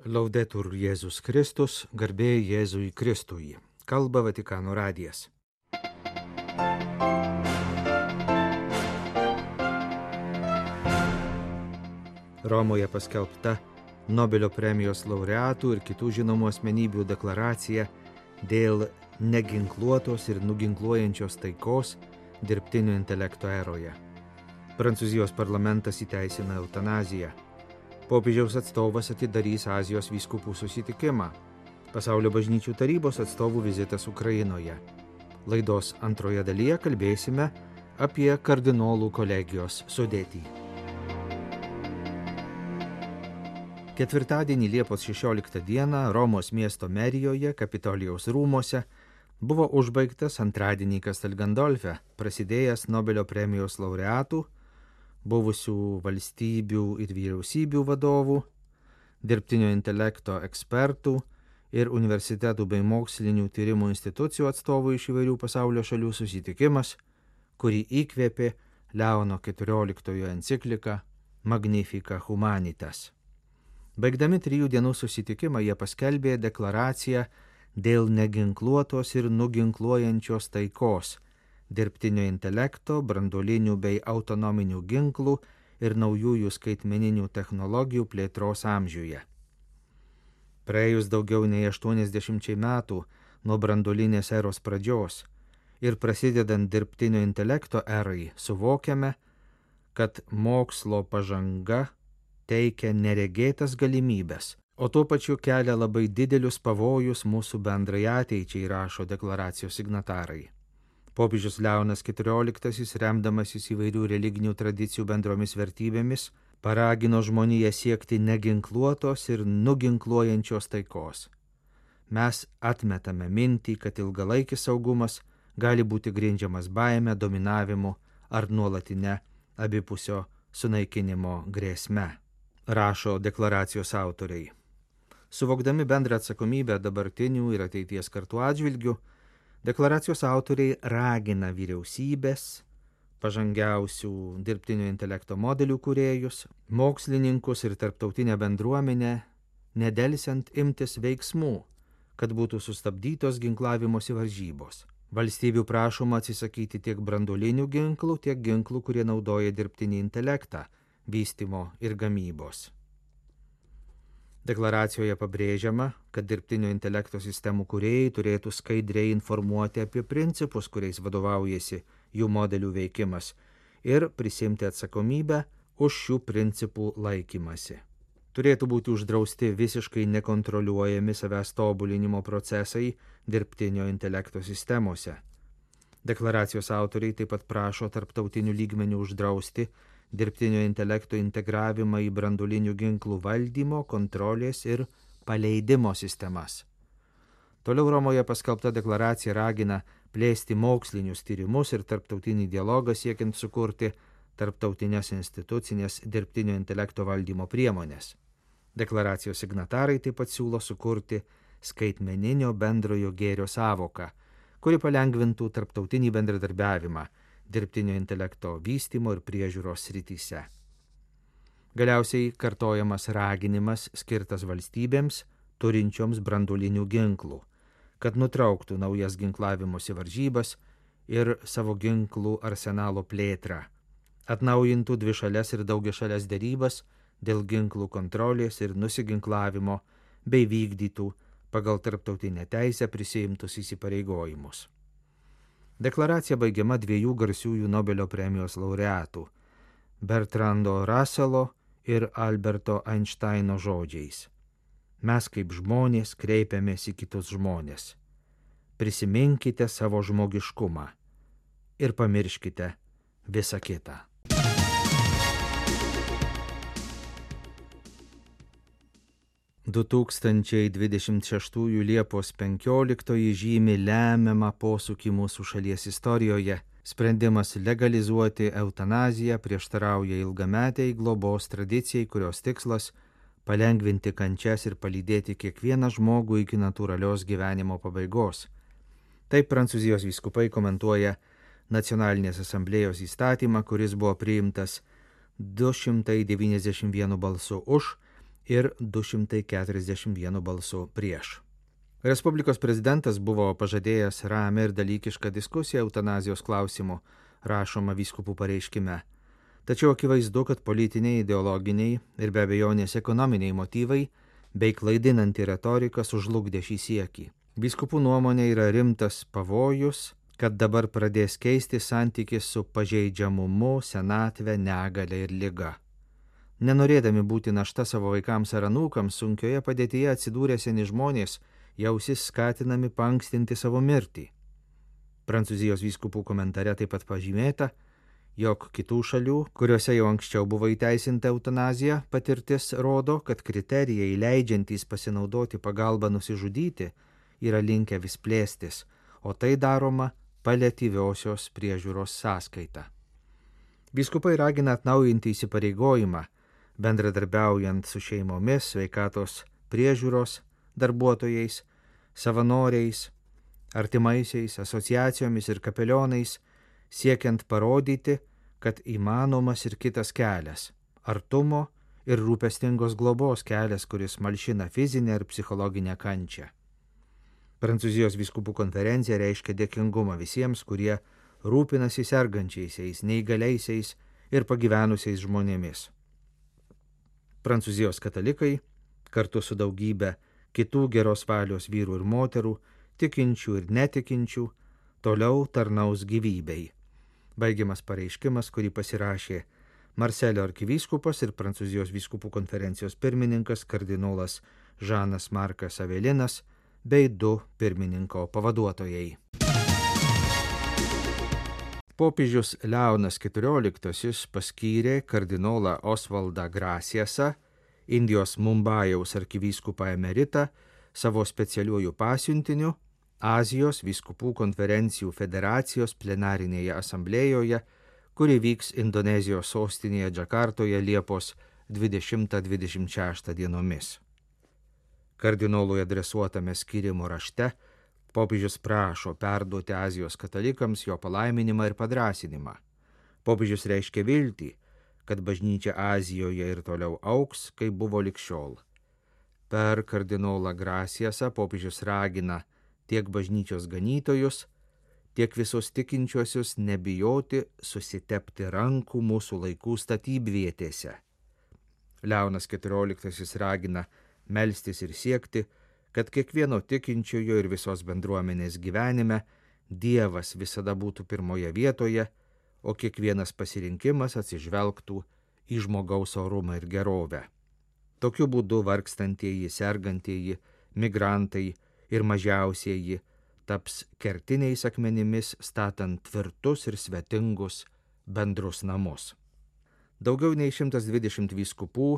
Laudetur Jėzus Kristus, garbė Jėzui Kristui. Kalba Vatikano radijas. Romoje paskelbta Nobelio premijos laureatų ir kitų žinomų asmenybių deklaracija dėl neginkluotos ir nuginkluojančios taikos dirbtinio intelekto eroje. Prancūzijos parlamentas įteisina eutanaziją. Popiežiaus atstovas atidarys Azijos vyskupų susitikimą. Pasaulio bažnyčių tarybos atstovų vizitas Ukrainoje. Laidos antroje dalyje kalbėsime apie kardinolų kolegijos sudėtį. Ketvirtadienį Liepos 16 dieną Romos miesto merijoje, Kapitolijaus rūmuose, buvo užbaigtas antradienį Castel Gandolfe prasidėjęs Nobelio premijos laureatų, buvusių valstybių ir vyriausybių vadovų, dirbtinio intelekto ekspertų ir universitetų bei mokslinių tyrimų institucijų atstovų iš įvairių pasaulio šalių susitikimas, kurį įkvėpė Leono XIV enciklika Magnificat Humanitas. Baigdami 3 dienų susitikimą jie paskelbė deklaraciją dėl neginkluotos ir nuginkluojančios taikos, dirbtinio intelekto, branduolinių bei autonominių ginklų ir naujųjų skaitmeninių technologijų plėtros amžiuje. Praėjus daugiau nei 80 metų nuo branduolinės eros pradžios ir prasidedant dirbtinio intelekto erai, suvokiame, kad mokslo pažanga teikia neregėtas galimybes, o tuo pačiu kelia labai didelius pavojus mūsų bendrai ateičiai, rašo deklaracijos signatarai. Popiežius Leonas XIV, remdamasis įvairių religinių tradicijų bendromis vertybėmis, paragino žmoniją siekti neginkluotos ir nuginkluojančios taikos. Mes atmetame mintį, kad ilgalaikis saugumas gali būti grindžiamas baime, dominavimu ar nuolatinė abipusio sunaikinimo grėsme, rašo deklaracijos autoriai. Suvokdami bendrą atsakomybę dabartinių ir ateities kartų atžvilgių, deklaracijos autoriai ragina vyriausybės, pažangiausių dirbtinio intelekto modelių kūrėjus, mokslininkus ir tarptautinę bendruomenę nedelsiant imtis veiksmų, kad būtų sustabdytos ginklavimosi varžybos. Valstybių prašoma atsisakyti tiek branduolinių ginklų, tiek ginklų, kurie naudoja dirbtinį intelektą, vystymo ir gamybos. Deklaracijoje pabrėžiama, kad dirbtinio intelekto sistemų kūrėjai turėtų skaidriai informuoti apie principus, kuriais vadovaujasi jų modelių veikimas ir prisimti atsakomybę už šių principų laikymasi. Turėtų būti uždrausti visiškai nekontroliuojami savęs tobulinimo procesai dirbtinio intelekto sistemose. Deklaracijos autoriai taip pat prašo tarptautinių lygmenių uždrausti dirbtinio intelekto integravimą į branduolinių ginklų valdymo, kontrolės ir paleidimo sistemas. Toliau Romoje paskelbta deklaracija ragina plėsti mokslinius tyrimus ir tarptautinį dialogą siekiant sukurti tarptautinės institucinės dirbtinio intelekto valdymo priemonės. Deklaracijos signatarai taip pat siūlo sukurti skaitmeninio bendrojo gėrio sąvoką, kuri palengvintų tarptautinį bendradarbiavimą dirbtinio intelekto vystymo ir priežiūros srityse. Galiausiai kartojamas raginimas skirtas valstybėms turinčioms branduolinių ginklų, kad nutrauktų naujas ginklavimosi varžybas ir savo ginklų arsenalo plėtrą, atnaujintų dvišales ir daugiašales derybas dėl ginklų kontrolės ir nusiginklavimo bei vykdytų pagal tarptautinę teisę prisiimtus įsipareigojimus. Deklaracija baigiama 2 garsiųjų Nobelio premijos laureatų Bertrando Russello ir Alberto Einsteino žodžiais. Mes kaip žmonės kreipiamės į kitus žmonės. Prisiminkite savo žmogiškumą ir pamirškite visą kitą. – 2026 Liepos 15 žymi lemiamą posūkį mūsų šalies istorijoje. Sprendimas legalizuoti eutanaziją prieštarauja ilgametiai globos tradicijai, kurios tikslas – palengvinti kančias ir palydėti kiekvieną žmogų iki natūralios gyvenimo pabaigos. Taip Prancūzijos vyskupai komentuoja Nacionalinės asamblėjos įstatymą, kuris buvo priimtas 291 balsu už ir 241 balsu prieš. Respublikos prezidentas buvo pažadėjęs ramią ir dalykišką diskusiją eutanazijos klausimu, rašoma vyskupų pareiškime. Tačiau akivaizdu, kad politiniai, ideologiniai ir be abejonės ekonominiai motyvai bei klaidinanti retorika sužlugdė šį siekį. Vyskupų nuomonė yra rimtas pavojus, kad dabar pradės keisti santykis su pažeidžiamumu, senatve, negale ir liga. Nenorėdami būti našta savo vaikams ar anūkams, sunkioje padėtyje atsidūrę seni žmonės jausis skatinami paankstinti savo mirtį. Prancūzijos vyskupų komentare taip pat pažymėta, jog kitų šalių, kuriuose jau anksčiau buvo įteisinta eutanazija, patirtis rodo, kad kriterijai leidžiantys pasinaudoti pagalbą nusižudyti yra linkę vis plėstis, o tai daroma paliatyviosios priežiūros sąskaita. Vyskupai ragina atnaujinti įsipareigojimą, bendradarbiaujant su šeimomis, sveikatos priežiūros darbuotojais, savanoriais, artimaisiais, asociacijomis ir kapelionais, siekiant parodyti, kad įmanomas ir kitas kelias – artumo ir rūpestingos globos kelias, kuris malšina fizinę ir psichologinę kančią. Prancūzijos vyskupų konferencija reiškia dėkingumą visiems, kurie rūpinasi sergančiaisiais, neįgaliaisiais ir pagyvenusiais žmonėmis. Prancūzijos katalikai, kartu su daugybė kitų geros valios vyrų ir moterų, tikinčių ir netikinčių, toliau tarnaus gyvybei. Baigiamas pareiškimas, kurį pasirašė Marselio arkivyskupas ir Prancūzijos vyskupų konferencijos pirmininkas kardinolas Žanas Markas Avelinas bei 2 pirmininko pavaduotojai. Popiežius Leonas XIV paskyrė kardinolą Osvaldą Grasiasą, Indijos Mumbajaus arkivyskupą emeritą, savo specialiuoju pasiuntiniu Azijos vyskupų konferencijų federacijos plenarinėje asamblėjoje, kuri vyks Indonezijos sostinėje Džakartoje Liepos 20-26 dienomis. Kardinolui adresuotame skyrimo rašte popiežius prašo perduoti Azijos katalikams jo palaiminimą ir padrąsinimą. Popiežius reiškia viltį, kad bažnyčia Azijoje ir toliau augs, kaip buvo lig šiol. Per kardinolą Grasiasą popiežius ragina tiek bažnyčios ganytojus, tiek visus tikinčiuosius nebijoti susitepti rankų mūsų laikų statybvietėse. Leonas XIV ragina melstis ir siekti, kad kiekvieno tikinčiojo ir visos bendruomenės gyvenime Dievas visada būtų pirmoje vietoje, o kiekvienas pasirinkimas atsižvelgtų į žmogaus orumą ir gerovę. Tokiu būdu vargstantieji, sergantieji, migrantai ir mažiausieji taps kertiniais akmenimis, statant tvirtus ir svetingus bendrus namus. Daugiau nei 120 vyskupų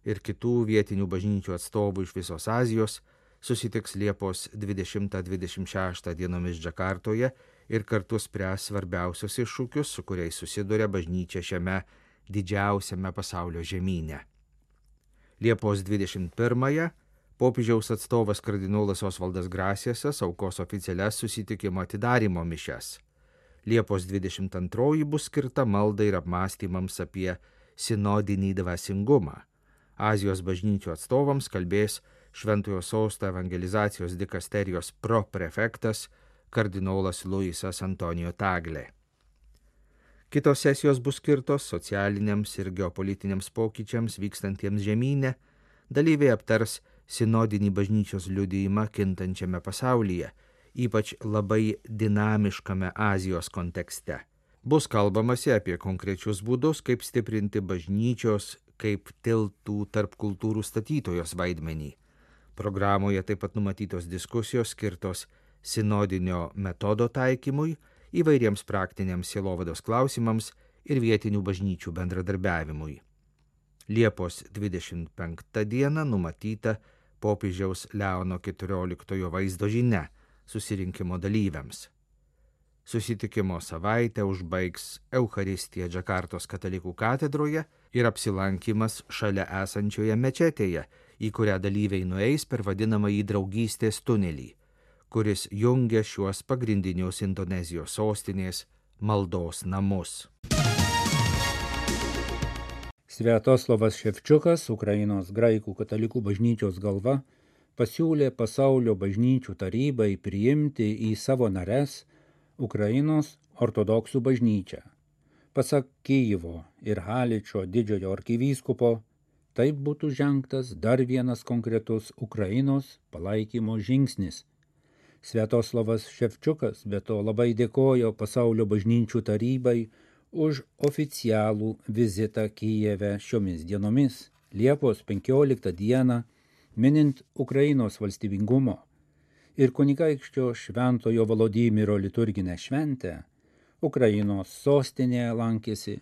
ir kitų vietinių bažnyčių atstovų iš visos Azijos susitiks Liepos 20-26 dienomis Džakartoje ir kartu spręs svarbiausius iššūkius, su kuriais susiduria bažnyčia šiame didžiausiame pasaulio žemyne. Liepos 21-ąją popiežiaus atstovas kardinolas Osvaldas Grasiasas aukos oficialias susitikimo atidarymo mišias. Liepos 22 bus skirta maldai ir apmąstymams apie sinodinį dvasingumą. Azijos bažnyčių atstovams kalbės Šventojo Sosto evangelizacijos dikasterijos proprefektas kardinolas Luisas Antonijo Taglė. Kitos sesijos bus skirtos socialiniams ir geopolitiniams pokyčiams vykstantiems žemyne. Dalyviai aptars sinodinį bažnyčios liudijimą kintančiame pasaulyje, ypač labai dinamiškame Azijos kontekste. Bus kalbamasi apie konkrečius būdus, kaip stiprinti bažnyčios kaip tiltų tarp kultūrų statytojos vaidmenį. Programoje taip pat numatytos diskusijos skirtos sinodinio metodo taikymui, įvairiems praktiniams sielovados klausimams ir vietinių bažnyčių bendradarbiavimui. Liepos 25 dieną numatyta popiežiaus Leono XIV vaizdo žinia susirinkimo dalyviams. Susitikimo savaitę užbaigs Eucharistija Džakartos katalikų katedroje ir apsilankymas šalia esančioje mečetėje, į kurią dalyviai nueis per vadinamąjį draugystės tunelį, kuris jungia šiuos pagrindinius Indonezijos sostinės maldos namus. Sviatoslavas Ševčiukas, Ukrainos graikų katalikų bažnyčios galva, pasiūlė pasaulio bažnyčių tarybai priimti į savo nares Ukrainos ortodoksų bažnyčią. Pasak Kyjivo ir Haličo didžiojo arkivyskupo, taip būtų žengtas dar vienas konkretus Ukrainos palaikymo žingsnis. Sviatoslavas Ševčiukas be to labai dėkojo pasaulio bažnyčių tarybai už oficialų vizitą Kijeve šiomis dienomis, Liepos 15 dieną, minint Ukrainos valstybingumo ir kunigaikščio Šventojo Volodymyro liturginę šventę, Ukrainos sostinėje lankėsi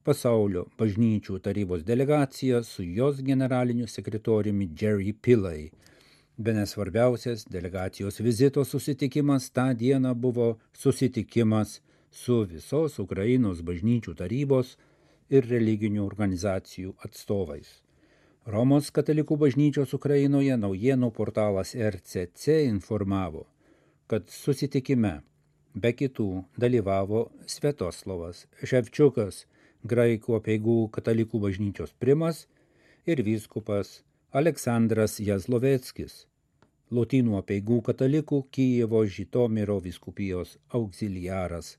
pasaulio bažnyčių tarybos delegacija su jos generaliniu sekretoriumi Jerry Pillay. Bene svarbiausias delegacijos vizito susitikimas tą dieną buvo susitikimas su visos Ukrainos bažnyčių tarybos ir religinių organizacijų atstovais. Romos katalikų bažnyčios Ukrainoje naujienų portalas RCC informavo, kad susitikime be kitų dalyvavo Sviatoslavas Ševčiukas, graikų apeigų katalikų bažnyčios primas ir vyskupas Aleksandras Jazloveckis, lotynų apeigų katalikų Kijevo Žitomiro vyskupijos auxiliaras.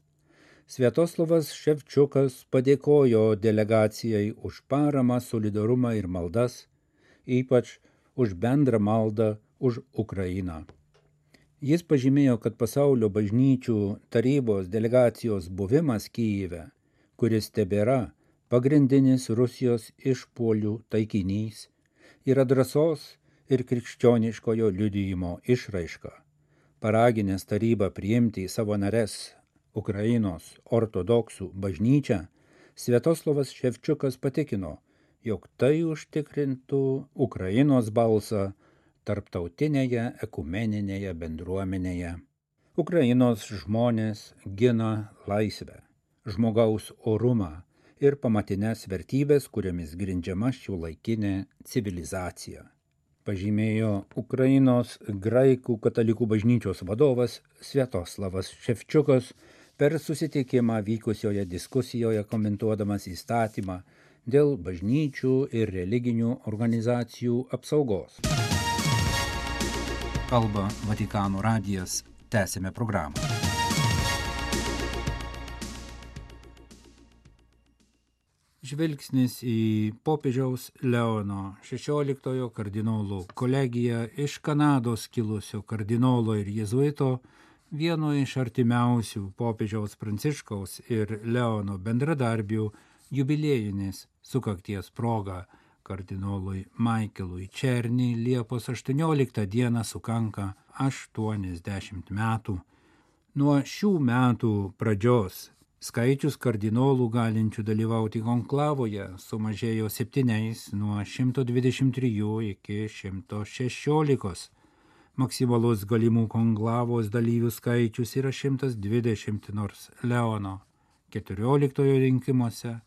Sviatoslavas Ševčiukas padėkojo delegacijai už paramą, solidarumą ir maldas, ypač už bendrą maldą už Ukrainą. Jis pažymėjo, kad pasaulio bažnyčių tarybos delegacijos buvimas Kijeve, kuris tebėra pagrindinis Rusijos išpuolių taikinys, yra drąsos ir krikščioniškojo liudijimo išraiška. Paraginęs tarybą priimti į savo nares Ukrainos ortodoksų bažnyčią, Sviatoslavas Ševčiukas patikino, jog tai užtikrintų Ukrainos balsą tarptautinėje ekumeninėje bendruomenėje. Ukrainos žmonės gina laisvę, žmogaus orumą ir pamatines vertybės, kuriomis grindžiama šiuolaikinė civilizacija, pažymėjo Ukrainos graikų katalikų bažnyčios vadovas Sviatoslavas Ševčiukas per susitikimą vykusioje diskusijoje komentuodamas įstatymą dėl bažnyčių ir religinių organizacijų apsaugos. Kalba Vatikano radijas, tęsime programą. Žvilgsnis į popiežiaus Leono XVI kardinolų kolegiją iš Kanados kilusio kardinolo ir jėzuito, vieno iš artimiausių popiežiaus Pranciškaus ir Leono bendradarbių jubiliejinės sukakties proga kardinolui Michaelui Černy Liepos 18 dieną sukanka 80 metų. Nuo šių metų pradžios skaičius kardinolų galinčių dalyvauti konklavoje sumažėjo 7 nuo 123 iki 116. Maksimalus galimų konklavos dalyvių skaičius yra 120, nors Leono 14 rinkimuose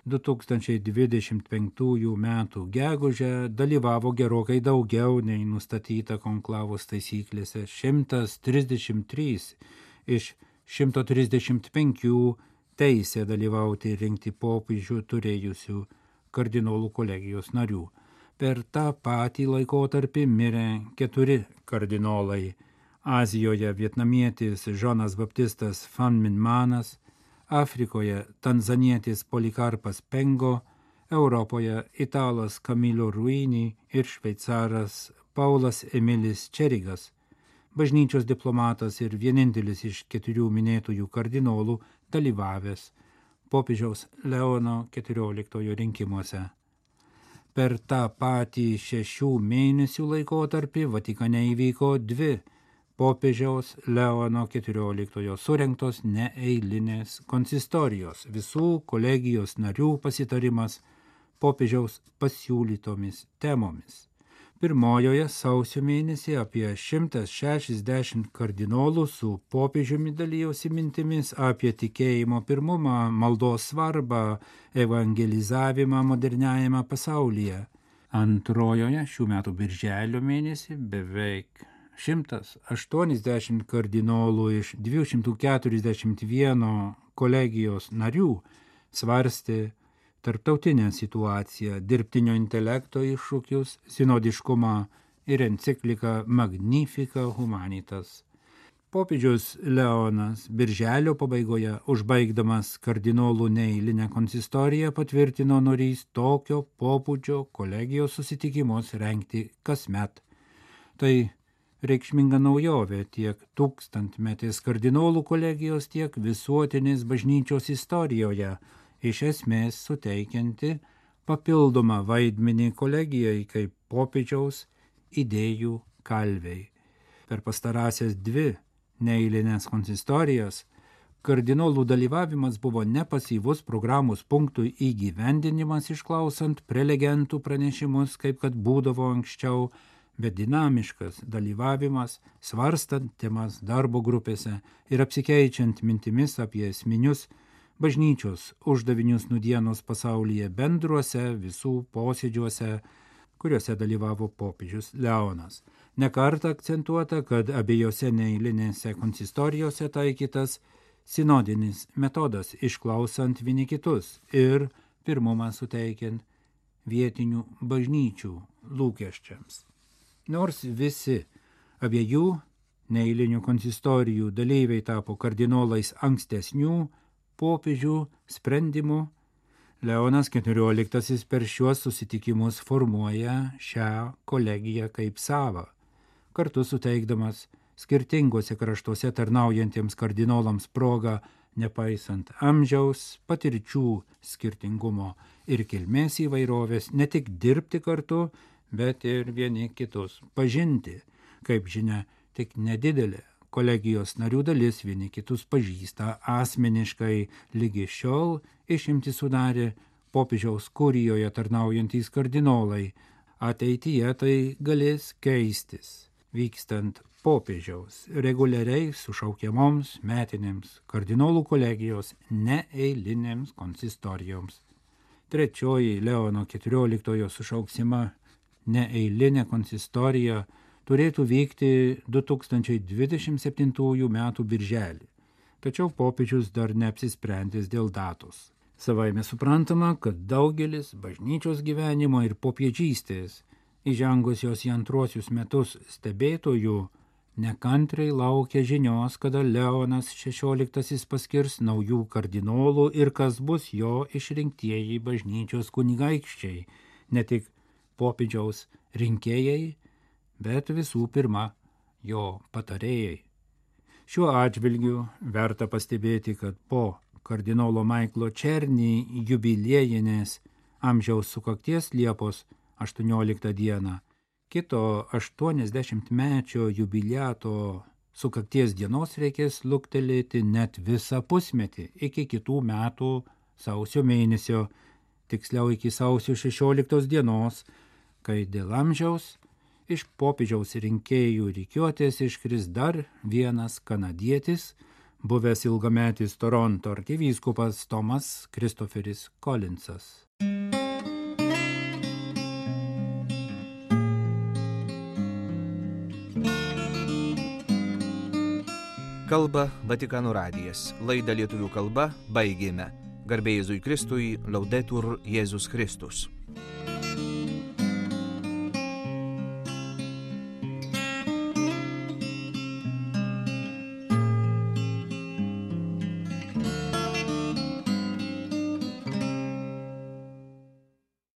2025 metų gegužę dalyvavo gerokai daugiau nei nustatyta konklavos taisyklėse 133 iš 135 teisę dalyvauti ir rinkti popiežių turėjusių kardinolų kolegijos narių. Per tą patį laikotarpį mirė 4 kardinolai. Azijoje vietnamietis Žonas Baptistas Van Minmanas, Afrikoje tanzanietis Polikarpas Pengo, Europoje italas Camillo Ruini ir šveicaras Paulas Emilis Čerigas, bažnyčios diplomatas ir vienintelis iš 4 minėtųjų kardinolų dalyvavęs popiežiaus Leono XIV rinkimuose. Per tą patį 6 mėnesių laikotarpį Vatikane įvyko 2 popiežiaus Leono XIV surengtos neeilinės konsistorijos, visų kolegijos narių pasitarimas popiežiaus pasiūlytomis temomis. Pirmojoje sausio mėnesį apie 160 kardinolų su popiežiumi dalijosi mintimis apie tikėjimo pirmumą, maldos svarbą, evangelizavimą moderniajame pasaulyje. Antrojoje šių metų birželio mėnesį beveik 180 kardinolų iš 241 kolegijos narių svarstė tarptautinę situaciją, dirbtinio intelekto iššūkius, sinodiškumą ir encikliką Magnifica Humanitas. Popiežius Leonas birželio pabaigoje, užbaigdamas kardinolų neeilinę konsistoriją, patvirtino norys tokio pobūdžio kolegijos susitikimus rengti kasmet. Tai reikšminga naujovė tiek tūkstantmetės kardinolų kolegijos, tiek visuotinės bažnyčios istorijoje, iš esmės suteikianti papildomą vaidmenį kolegijai kaip popiežiaus idėjų kalviai. Per pastarąsias 2 neeilinės konsistorijas kardinolų dalyvavimas buvo ne pasyvus programos punktų įgyvendinimas išklausant prelegentų pranešimus, kaip kad būdavo anksčiau, bet dinamiškas dalyvavimas, svarstant temas darbo grupėse ir apsikeičiant mintimis apie esminius bažnyčios uždavinius nūdienos pasaulyje bendruose visų posėdžiuose, kuriuose dalyvavo popiežius Leonas. Nekartą akcentuota, kad abiejose neeilinėse konsistorijose taikytas sinodinis metodas, išklausant vieni kitus ir pirmumą suteikiant vietinių bažnyčių lūkesčiams. Nors visi abiejų neeilinių konsistorijų dalyviai tapo kardinolais ankstesnių popiežių sprendimų, Leonas XIV per šiuos susitikimus formuoja šią kolegiją kaip savą, kartu suteikdamas skirtingose kraštuose tarnaujantiems kardinolams progą, nepaisant amžiaus, patirčių skirtingumo ir kilmės įvairovės, ne tik dirbti kartu, bet ir vieni kitus pažinti. Kaip žinia, tik nedidelė kolegijos narių dalis vieni kitus pažįsta asmeniškai. Lygi šiol išimtį sudarė popiežiaus kurijoje tarnaujantys kardinolai. Ateityje tai galės keistis, vykstant popiežiaus reguliariai sušaukiamoms metinėms kardinolų kolegijos neeilinėms konsistorijoms. Trečioji Leono XIV sušauksima neeilinė konsistorija turėtų vykti 2027 metų birželį, tačiau popiežius dar neapsisprendęs dėl datos. Savaime suprantama, kad daugelis bažnyčios gyvenimo ir popiežystės įžengusios į antruosius metus stebėtojų nekantriai laukia žinios, kada Leonas XVI paskirs naujų kardinolų ir kas bus jo išrinktieji bažnyčios kunigaikščiai, ne tik popiežiaus rinkėjai, bet visų pirma jo patarėjai. Šiuo atžvilgiu verta pastebėti, kad po kardinolo Maiklo Černį jubiliejinės amžiaus sukakties Liepos 18 dieną, kito 80-mečio jubiliato sukakties dienos reikės luktelėti net visą pusmetį iki kitų metų sausio mėnesio, tiksliau iki sausio 16 dienos, kai dėl amžiaus iš popiežiaus rinkėjų rikiuotės iškris dar vienas kanadietis, buvęs ilgametis Toronto arkivyskupas Tomas Kristoferis Kolinsas. Kalba Vatikano radijas. Laidą lietuvių kalba baigėme. Garbė Jėzui Kristui, Laudetur Jėzus Kristus.